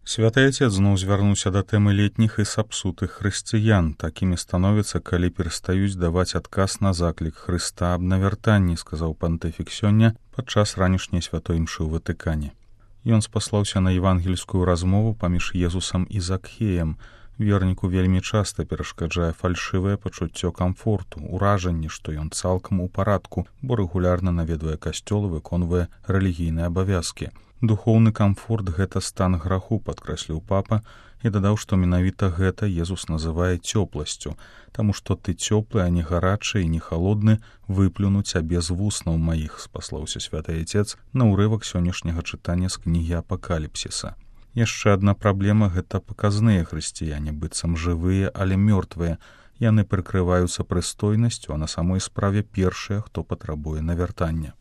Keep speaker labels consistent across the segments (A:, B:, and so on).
A: Святы Отец зноў звярнуўся да тэмы летніх і сапсутых хрысціян. Такімі становяцца, калі перастаюць даваць адказ на заклік Хрыста аб навяртанні, сказаў пантыфік сёння падчас ранішняй святой імшы ў Ватыкане. Ён спаслаўся на евангельскую размову паміж Езусам і Закхеем. Верніку вельмі часта перашкаджае фальшывае пачуццё камфорту, уражанне, што ён цалкам у парадку, бо рэгулярна наведвае касцёл і выконвае рэлігійныя абавязкі. Духоўны камфорт — гэта стан граху, падкрэсліў папа, і дадаў, што менавіта гэта Езус называе цёпласцю, таму што ты цёплы, а не гарачы і не халодны, выплюну цябе з вуснаў маіх, спаслаўся святы Отец на ўрывак сённяшняга чытання з кнігі Апакаліпсіса. Яшчэ адна праблема — гэта паказныя хрысціяне, быццам жывыя, але мёртвыя. Яны прыкрываюцца прыстойнасцю, а на самой справе першыя, хто патрабуе навяртання.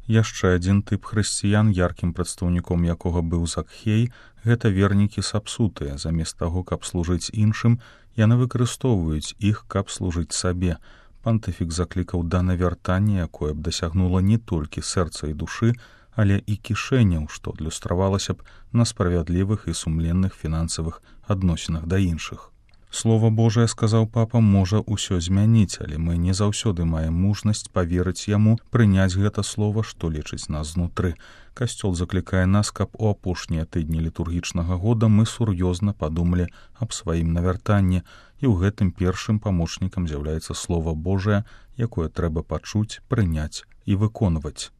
A: Яшчэ адзін тып хрысціян, яркім прадстаўніком якога быў Закхей, гэта вернікі сапсутыя. Замест таго, каб служыць іншым, яны выкарыстоўваюць іх, каб служыць сабе. Пантыфік заклікаў да навяртання, якое б дасягнула не толькі сэрца і душы, але і кішэняў, што адлюстравалася б на справядлівых і сумленных фінансавых адносінах да іншых. Слова Божае, сказаў папа, можа ўсё змяніць, але мы не заўсёды маем мужнасць паверыць яму, прыняць гэта слова, што лечыць нас знутры. Касцёл заклікае нас, каб у апошнія тыдні літургічнага года мы сур'ёзна падумалі аб сваім навяртанні, і ў гэтым першым памочнікам з'яўляецца слова Божае, якое трэба пачуць, прыняць і выконваць.